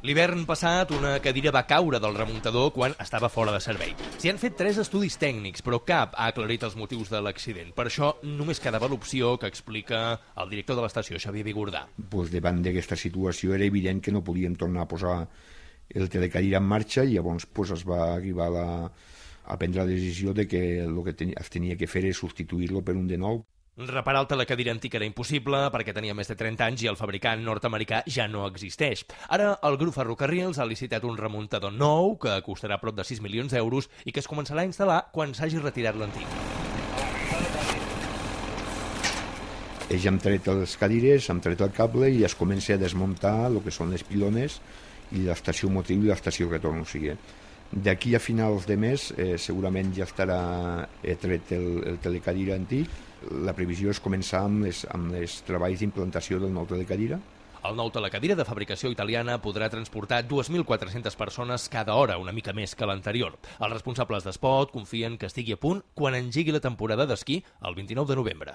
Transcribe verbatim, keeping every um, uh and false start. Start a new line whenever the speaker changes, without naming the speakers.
L'hivern passat, una cadira va caure del remuntador quan estava fora de servei. S'hi han fet tres estudis tècnics, però cap ha aclarit els motius de l'accident. Per això només quedava l'opció que explica el director de l'estació, Xavier Bigordà.
Pues davant d'aquesta situació era evident que no podíem tornar a posar el telecadira en marxa i llavors pues, es va arribar a, la, a prendre la decisió de que el que tenia, es tenia que fer és substituir-lo per un de nou.
Reparar el telecadira antic era impossible perquè tenia més de trenta anys i el fabricant nord-americà ja no existeix. Ara el grup Ferrocarrils ha licitat un remuntador nou que costarà prop de sis milions d'euros i que es començarà a instal·lar quan s'hagi retirat l'antic.
Ells han tret les cadires, han tret el cable i es comença a desmuntar el que són les pilones i l'estació motriu i l'estació retorn. O sigui, d'aquí a finals de mes eh, segurament ja estarà tret el, el telecadira antic. La previsió és començar amb les, amb les treballs d'implantació del nou telecadira.
El nou telecadira de fabricació italiana podrà transportar dues mil quatre-centes persones cada hora, una mica més que l'anterior. Els responsables d'Espot confien que estigui a punt quan engegui la temporada d'esquí el vint-i-nou de novembre.